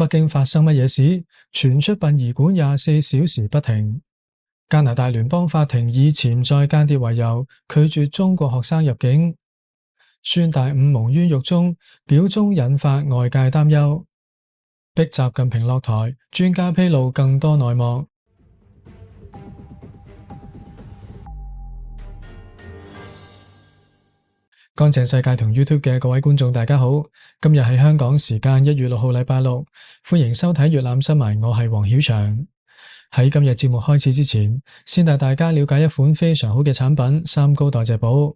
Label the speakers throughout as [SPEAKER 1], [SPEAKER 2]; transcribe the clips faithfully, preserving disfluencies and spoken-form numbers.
[SPEAKER 1] 北京發生乜嘢事？傳出殯儀館廿四小時不停。加拿大聯邦法庭以潛在間諜為由，拒絕中國學生入境。孫大午蒙冤獄中，表忠引發外界擔憂。逼習近平落台，專家披露更多內幕。乾淨世界同 YouTube 嘅各位觀眾大家好，今日係香港時間一月六號禮拜六，歡迎收睇粵覽新聞，我係黃曉翔。喺今日節目開始之前，先帶大家了解一款非常好嘅產品——三高代謝寶。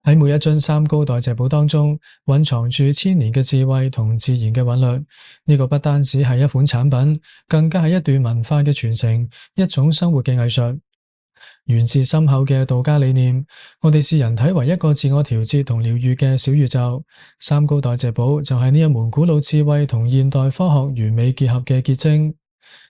[SPEAKER 1] 喺每一樽三高代謝寶當中，蘊藏住千年嘅智慧同自然嘅韻律。呢個不單止係一款產品，更加係一段文化嘅傳承，一種生活嘅藝術。源自深厚嘅道家理念，我哋視人體為一個自我調節同療愈嘅小宇宙。三高代謝寶就係呢一門古老智慧同現代科學完美結合嘅結晶。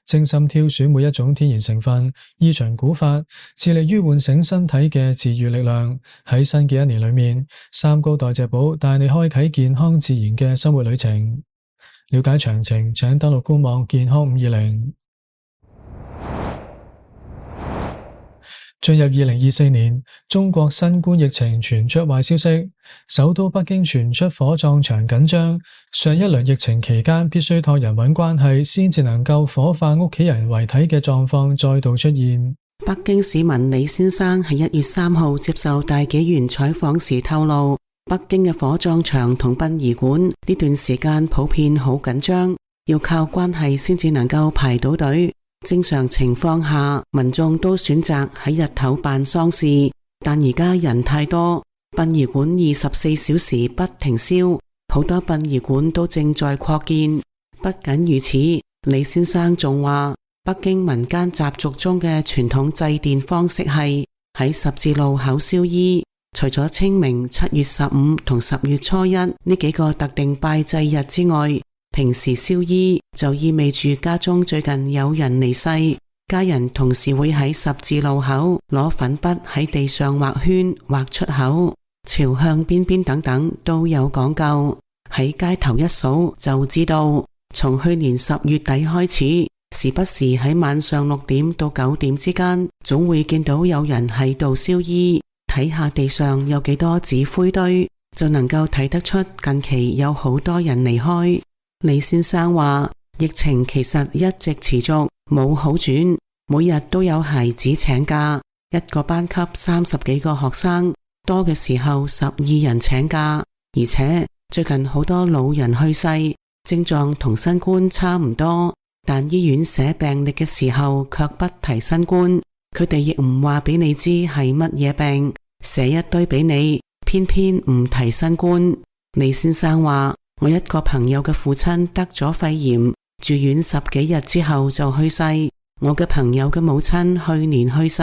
[SPEAKER 1] 精心挑選每一種天然成分，依循古法，致力於喚醒身體嘅治愈力量。喺新嘅一年裏面，三高代謝寶帶你開啟健康自然嘅生活旅程。了解詳情，請登錄官網健康五二零。進入二零二四年，中國新冠疫情傳出壞消息，首都北京傳出火葬場緊張。上一輪疫情期間必須託人搵關係先至能夠火化屋企人遺體嘅狀況再度出現。
[SPEAKER 2] 北京市民李先生喺一月三號接受大紀元採訪時透露，北京嘅火葬場同殯儀館呢段時間普遍好緊張，要靠關係先至能夠排到隊。正常情況下，民眾都選擇喺日頭辦喪事，但而家人太多，殯儀館二十四小時不停燒，好多殯儀館都正在擴建。不僅如此，李先生仲話，北京民間習俗中嘅傳統祭奠方式係喺十字路口燒衣。除咗清明、七月十五同十月初一呢幾個特定拜祭日之外，平時燒衣就意味住家中最近有人離世，家人同時會喺十字路口攞粉筆喺地上畫圈、畫出口、朝向邊邊等等都有講究。喺街頭一數就知道，從去年十月底開始，時不時喺晚上六點到九點之間，總會見到有人喺度燒衣。睇下地上有幾多紙灰堆，就能夠睇得出近期有好多人離開。李先生話，疫情其實一直持續，冇好轉，每日都有孩子請假，一個班級三十幾個學生，多嘅時候十二人請假。而且最近好多老人去世，症狀同新冠差唔多，但醫院寫病歷嘅時候卻不提新冠，佢哋亦唔話俾你知係乜嘢病，寫一堆俾你，偏偏唔提新冠。李先生話，我一個朋友嘅父親得咗肺炎，住院十幾日之後就去世。我嘅朋友嘅母親去年去世。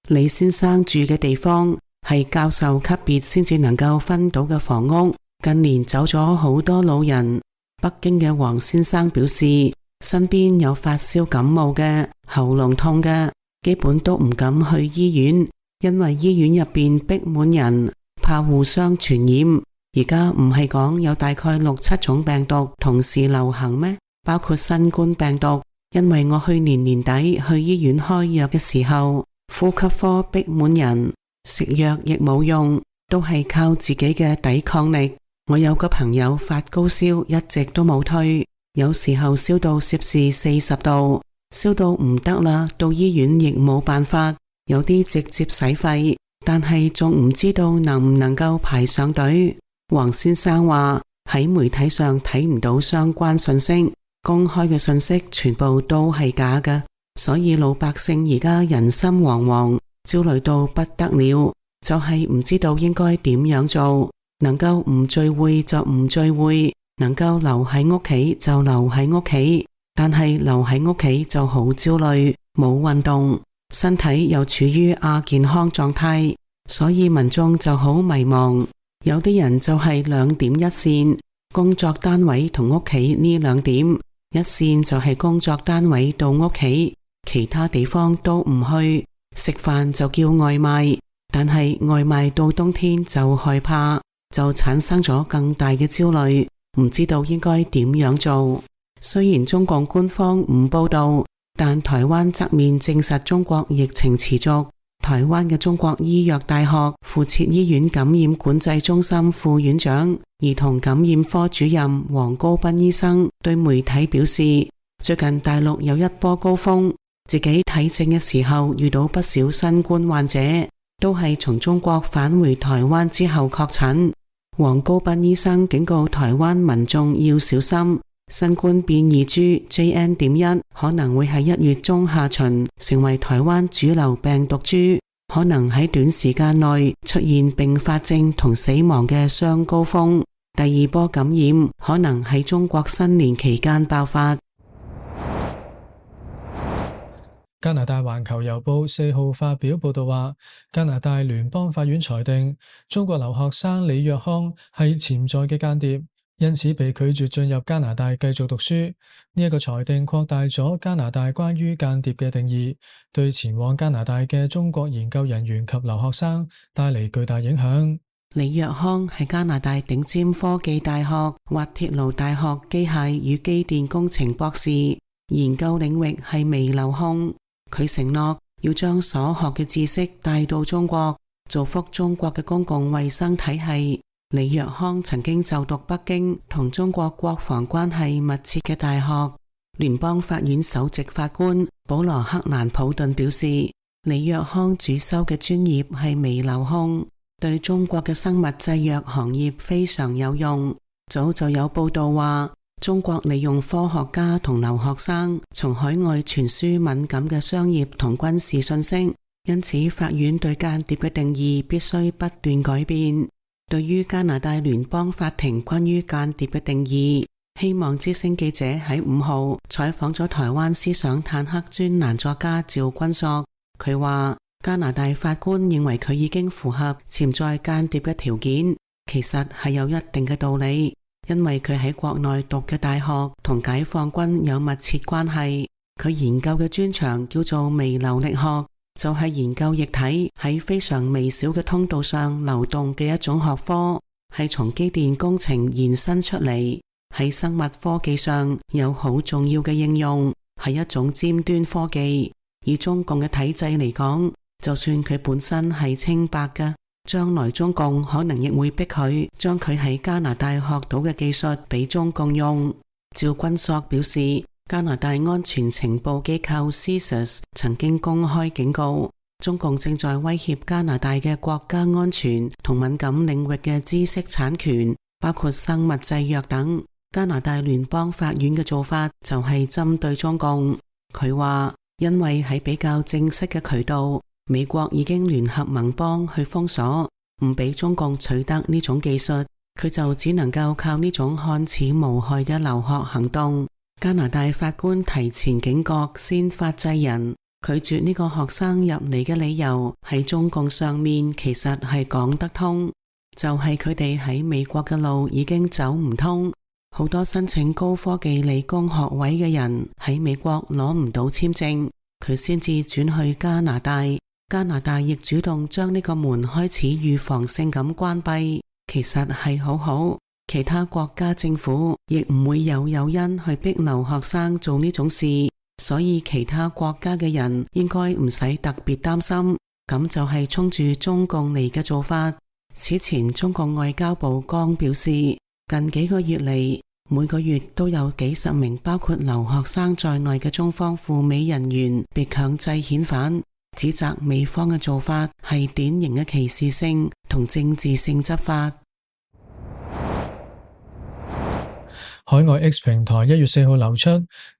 [SPEAKER 2] 李先生住嘅地方係教授級別先至能夠分到嘅房屋，近年走咗好多老人。北京嘅黃先生表示，身邊有發燒感冒嘅、喉嚨痛嘅，基本都唔敢去醫院，因為醫院入邊逼滿人，怕互相傳染。而家唔係講有大概六七種病毒同時流行咩？包括新冠病毒。因為我去年年底去醫院開藥嘅時候，呼吸科逼滿人，食藥亦冇用，都係靠自己嘅抵抗力。我有個朋友發高燒一直都冇退，有時候燒到攝氏四十度，燒到唔得啦，到醫院亦冇辦法，有啲直接洗肺，但係仲唔知道能唔能夠排上隊。黃先生話，喺媒體上睇唔到相關信息，公開嘅信息全部都係假嘅，所以老百姓而家人心惶惶，焦慮到不得了，就係唔知道應該點樣做，能夠唔聚會就唔聚會，能夠留喺屋企就留喺屋企，但係留喺屋企就好焦慮，冇運動，身體又處於亞健康狀態，所以民眾就好迷茫。有啲人就係兩點一線，工作單位同屋企呢兩點，一線就係工作單位到屋企，其他地方都唔去，食飯就叫外賣，但係外賣到冬天就害怕，就產生咗更大嘅焦慮，唔知道應該點樣做。雖然中共官方唔報道，但台灣側面證實中國疫情持續。台灣嘅中國醫藥大學附設醫院感染管制中心副院長、兒童感染科主任黃高斌醫生對媒體表示，最近大陸有一波高峰，自己睇症嘅時候遇到不少新冠患者，都係從中國返回台灣之後確診。黃高斌醫生警告台灣民眾要小心，新冠變異株 J N 點一 可能會喺一月中下旬成為台灣主流病毒株，可能喺短時間內出現併發症同死亡嘅雙高峰。第二波感染可能喺中國新年期間爆發。
[SPEAKER 1] 加拿大環球郵報四號發表報道話，加拿大聯邦法院裁定中國留學生李若康係潛在嘅間諜，因此被拒絕進入加拿大繼續讀書。呢一個裁定擴大咗加拿大關於間諜嘅定義，對前往加拿大嘅中國研究人員及留學生帶嚟巨大影響。
[SPEAKER 2] 李若康係加拿大頂尖科技大學滑鐵盧大學機械與機電工程博士，研究領域係微流控。佢承諾要將所學嘅知識帶到中國，造福中國嘅公共衛生體系。李若康曾經就讀北京同中國國防關係密切嘅大學。聯邦法院首席法官保羅克蘭普頓表示，李若康主修嘅專業係微流控，對中國嘅生物製藥行業非常有用。早就有報道話，中國利用科學家同留學生從海外傳輸敏感嘅商業同軍事信息，因此法院對間諜嘅定義必須不斷改變。對於加拿大聯邦法庭關於間諜嘅定義，希望之聲記者喺五號採訪咗台灣思想坦克專欄作家趙君碩，佢話加拿大法官認為佢已經符合潛在間諜嘅條件，其實係有一定嘅道理。因為佢喺國內讀嘅大學同解放軍有密切關係，佢研究嘅專長叫做微流力學，就係研究液體喺非常微小嘅通道上流動嘅一種學科，係從機電工程延伸出嚟，喺生物科技上有好重要嘅應用，係一種尖端科技。以中共嘅體制嚟講，就算佢本身係清白嘅，將來中共可能亦會逼佢將佢喺加拿大學到嘅技術俾中共用。趙君碩表示，加拿大安全情報機構 C I S A S 曾經公開警告，中共正在威脅加拿大嘅國家安全同敏感領域嘅知識產權，包括生物製藥等。加拿大聯邦法院嘅做法就係針對中共。佢話，因為喺比較正式嘅渠道，美國已經聯合盟邦去封鎖，唔俾中共取得呢種技術，佢就只能夠靠呢種看似無害嘅留學行動。加拿大法官提前警覺先發制人，拒絕呢個學生入嚟嘅理由喺中共上面其實係講得通，就係佢哋喺美國嘅路已經走唔通，好多申請高科技理工學位嘅人喺美國攞唔到簽證，佢先至轉去加拿大。加拿大亦主動將呢個門開始預防性咁關閉，其實係好好。其他國家政府亦唔會有誘因去逼留學生做呢種事，所以其他國家嘅人應該唔使特別擔心。咁就係衝住中共嚟嘅做法。此前中共外交部剛表示，近幾個月嚟，每個月都有幾十名包括留學生在內嘅中方赴美人員被強制遣返，指責美方嘅做法係典型嘅歧視性同政治性執法。
[SPEAKER 1] 海外 X 平台一月四號流出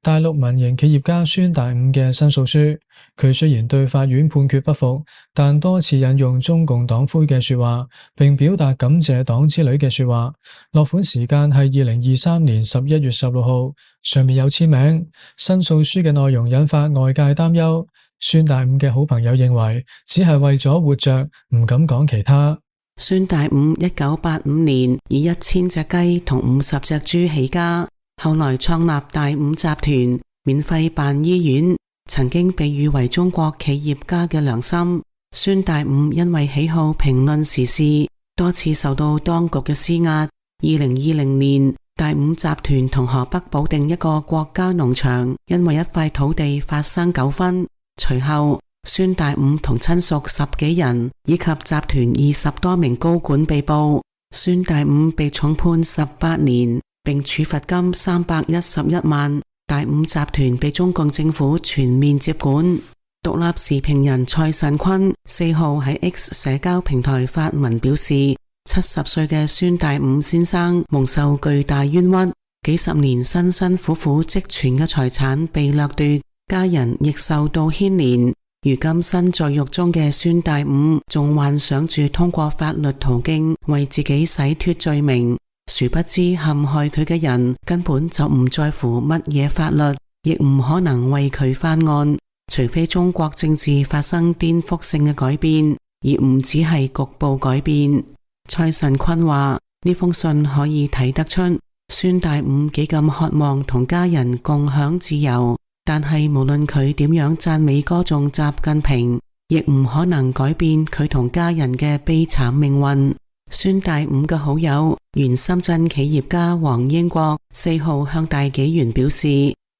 [SPEAKER 1] 大陸民營企業家孫大午嘅申訴書，佢雖然對法院判決不服，但多次引用中共黨魁嘅說話，並表達感謝黨之類嘅說話。落款時間係二零二三年十一月十六號，上面有簽名。申訴書嘅內容引發外界擔憂，孫大午嘅好朋友認為只係為咗活着，唔敢講其他。
[SPEAKER 2] 孫大午一九八五年以一千隻雞同五十隻豬起家，後來創立大午集團，免費辦醫院，曾經被譽為中國企業家嘅良心。孫大午因為喜好評論時事，多次受到當局嘅施壓。二零二零年，大五集團同河北保定一個國家農場因為一塊土地發生糾紛，隨後孫大五同親屬十幾人以及集團二十多名高管被捕，孫大五被重判十八年，並處罰金三百一十一萬。大五集團被中共政府全面接管。獨立時評人蔡慎坤四號喺 X 社交平台發文表示，七十歲嘅孫大五先生蒙受巨大冤屈，幾十年辛辛苦苦積存嘅財產被掠奪，家人亦受到牽連。如今身在獄中嘅孫大五仲幻想住通過法律途徑為自己洗脫罪名，殊不知陷害佢嘅人根本就唔在乎乜嘢法律，亦唔可能為佢翻案，除非中國政治發生顛覆性嘅改變，而唔只係局部改變。蔡慎坤話，呢封信可以睇得出孫大五幾咁渴望同家人共享自由，但係無論佢點樣讚美歌頌習近平，亦唔可能改變佢同家人嘅悲慘命運。孫大五嘅好友原深圳企業家黃英國四號向大紀元表示，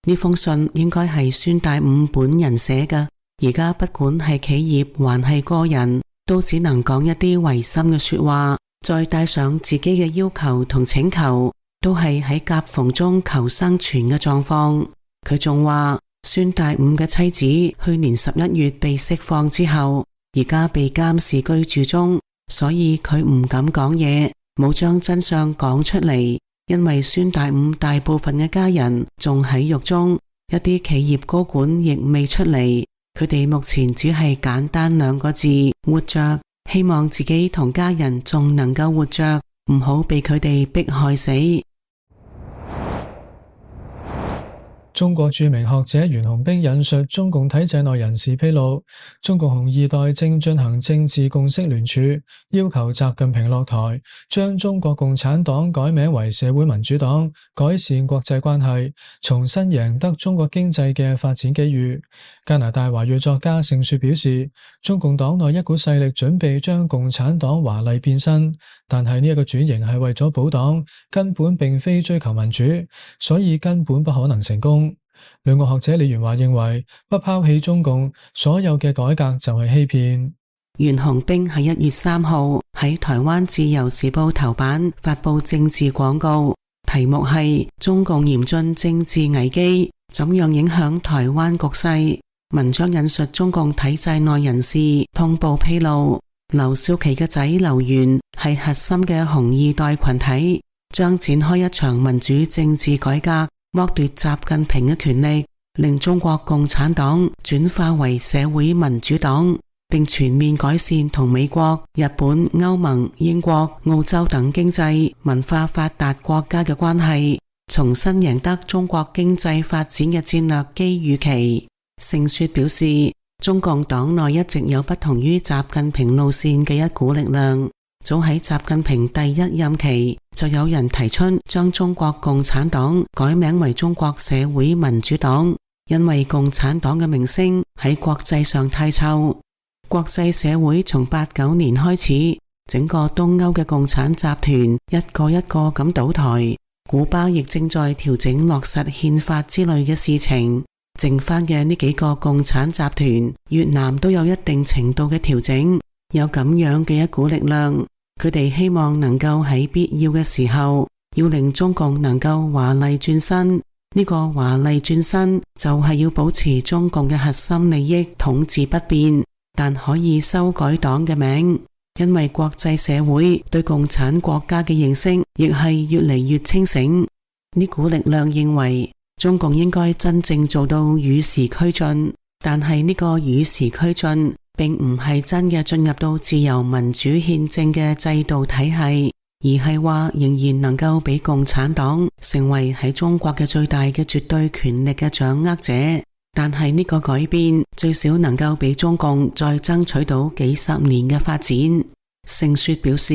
[SPEAKER 2] 呢封信應該係孫大五本人寫嘅，而家不管係企業還係個人，都只能講一啲違心嘅說話，再帶上自己嘅要求同請求，都係喺夾縫中求生存嘅狀況。佢仲話，孫大五嘅妻子去年十一月被釋放之後，而家被監視居住中，所以佢唔敢講嘢，冇將真相講出嚟。因為孫大五大部分嘅家人仲喺獄中，一啲企業高管亦未出嚟，佢哋目前只係簡單兩個字：活着。希望自己同家人仲能夠活着，唔好被佢哋迫害死。
[SPEAKER 1] 中國著名學者袁洪兵引述中共體制內人士披露，中共紅二代正進行政治共識聯署，要求習近平落台，將中國共產黨改名為社會民主黨，改善國際關係，重新贏得中國經濟嘅發展機遇。加拿大華裔作家盛雪表示，中共黨內一股勢力準備將共產黨華麗變身，但係呢一個轉型係為咗保黨，根本並非追求民主，所以根本不可能成功。兩個學者李元華認為，不拋棄中共，所有嘅改革就係欺騙。
[SPEAKER 2] 袁洪兵喺一月三號喺台灣自由時報頭版發佈政治廣告，題目係中共嚴峻政治危機，怎樣影響台灣局勢。文章引述中共體制內人士通報披露，劉少奇嘅仔劉源係核心嘅紅二代群體，將展開一場民主政治改革，剝奪習近平嘅權力，令中國共產黨轉化為社會民主黨，並全面改善同美國、日本、歐盟、英國、澳洲等經濟文化發達國家嘅關係，重新贏得中國經濟發展嘅戰略機遇期。盛雪表示，中共黨內一直有不同於習近平路線嘅一股力量。早喺習近平第一任期，就有人提出將中國共產黨改名為中國社會民主黨，因為共產黨嘅名聲喺國際上太臭。國際社會從八九年開始，整個東歐嘅共產集團一個一個咁倒台，古巴亦正在調整落實憲法之類嘅事情。剩翻嘅呢幾個共產集團，越南都有一定程度嘅調整，有咁樣嘅一股力量，佢哋希望能夠喺必要嘅時候，要令中共能夠華麗轉身。呢個華麗轉身就係要保持中共嘅核心利益統治不變，但可以修改黨嘅名，因為國際社會對共產國家嘅認識亦係越嚟越清醒。呢股力量認為，中共應該真正做到與時俱進，但係呢個與時俱進並唔係真嘅進入到自由民主憲政嘅制度體系，而係話仍然能夠俾共產黨成為喺中國嘅最大嘅絕對權力嘅掌握者。但係呢個改變最少能夠俾中共再爭取到幾十年嘅發展。盛雪表示，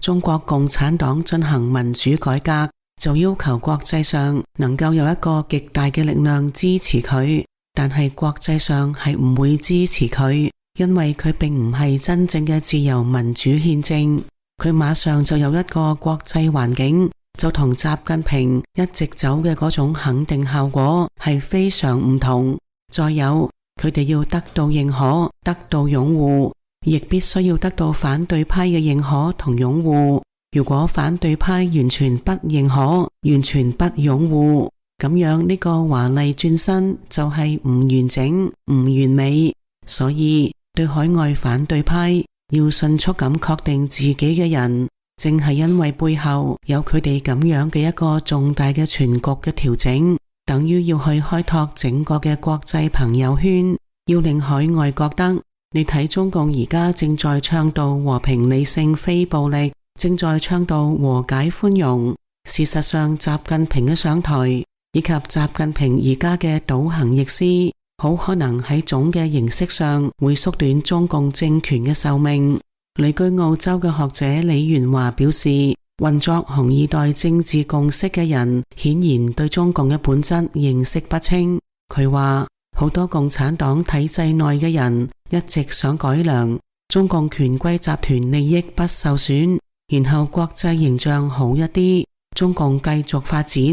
[SPEAKER 2] 中國共產黨進行民主改革，就要求國際上能夠有一個極大嘅力量支持佢，但係國際上係唔會支持佢，因為佢並唔係真正嘅自由民主憲政。佢馬上就有一個國際環境就同習近平一直走嘅嗰種肯定效果係非常唔同。再有，佢哋要得到認可，得到擁護，亦必須要得到反對派嘅認可同擁護。如果反對派完全不認可，完全不擁護，咁樣呢個華麗轉身就係唔完整、唔完美。所以對海外反對派要迅速咁確定自己嘅人，正係因為背後有佢哋咁樣嘅一個重大嘅全局嘅調整，等於要去開拓整個嘅國際朋友圈，要令海外覺得你睇中共而家正在倡導和平理性非暴力，正在倡導和解寬容。事實上，習近平嘅上台以及習近平而家嘅倒行逆施，好可能喺總嘅形式上會縮短中共政權嘅壽命。旅居澳洲嘅學者李元華表示，運作紅二代政治共識嘅人顯然對中共嘅本質認識不清。佢話好多共產黨體制內嘅人一直想改良中共權貴集團利益不受損，然後國際形象好一啲，中共繼續發展。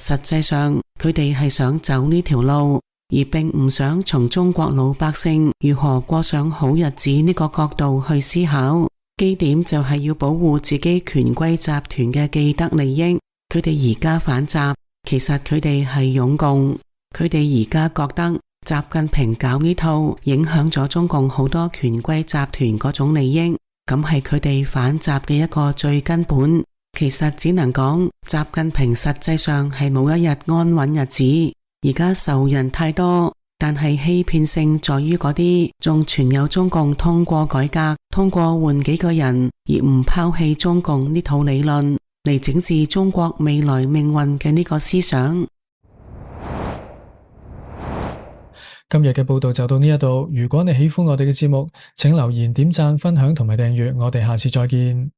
[SPEAKER 2] 實際上佢哋係想走呢條路，而並唔想從中國老百姓如何過上好日子呢個角度去思考。基點就係要保護自己權貴集團嘅既得利益。佢哋而家反習，其實佢哋係擁共。佢哋而家覺得習近平搞呢套影響咗中共好多權貴集團嗰種利益，咁係佢哋反習嘅一個最根本。其實只能講習近平實際上係冇一日安穩日子。而家仇人太多，但係欺騙性在於嗰啲仲存有中共通過改革、通過換幾個人而唔拋棄中共呢套理論嚟整治中國未來命運嘅呢個思想。
[SPEAKER 1] 今日嘅報道就到呢一度。如果你喜歡我哋嘅節目，請留言、點讚、分享同埋訂閱。我哋下次再見。